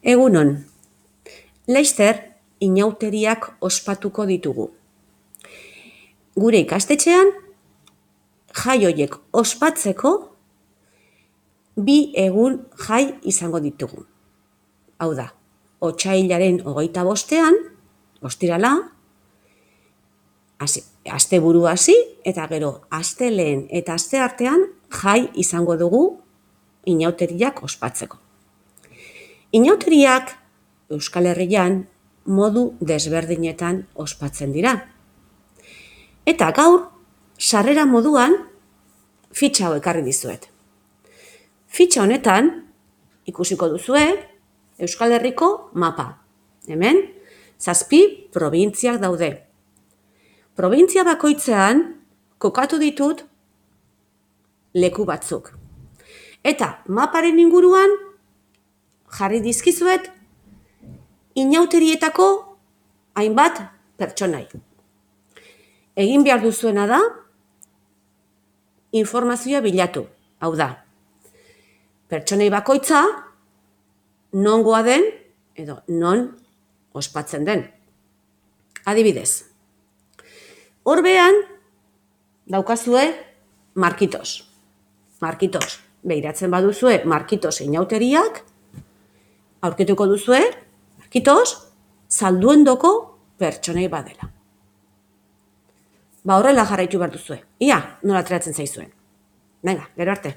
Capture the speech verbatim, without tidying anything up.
Egunon, laster inauteriak ospatuko ditugu. Gure ikastetxean, jai horiek ospatzeko bi egun jai izango ditugu. Hau da, otsailaren hogeita bostean, ostirala, asteburu hasi eta gero astelehen eta asteartean jai izango dugu inauteriak ospatzeko. Inauteriak Euskal Herrian modu desberdinetan ospatzen dira. Eta gaur, sarrera moduan, fitxa hau ekarri dizuet. Fitxa honetan, ikusiko duzue, Euskal Herriko mapa. Hemen, zazpi probintziak daude. Probintzia bakoitzean, kokatu ditut leku batzuk. Eta maparen inguruan, jarri dizkizuet, inauterietako hainbat pertsonai. Egin behar duzuena da, informazioa bilatu. Hau da, pertsonei bakoitza, nongoa den, edo non ospatzen den. Adibidez, horbean daukazue Markitos. Markitos, behiratzen baduzue Markitos inauteriak, aurkituko duzue, Markitos, Zalduendoko pertsonei badela. Ba horrela jarraitu behar duzue. Ia, nola ateratzen zaizuen. Venga, gero arte.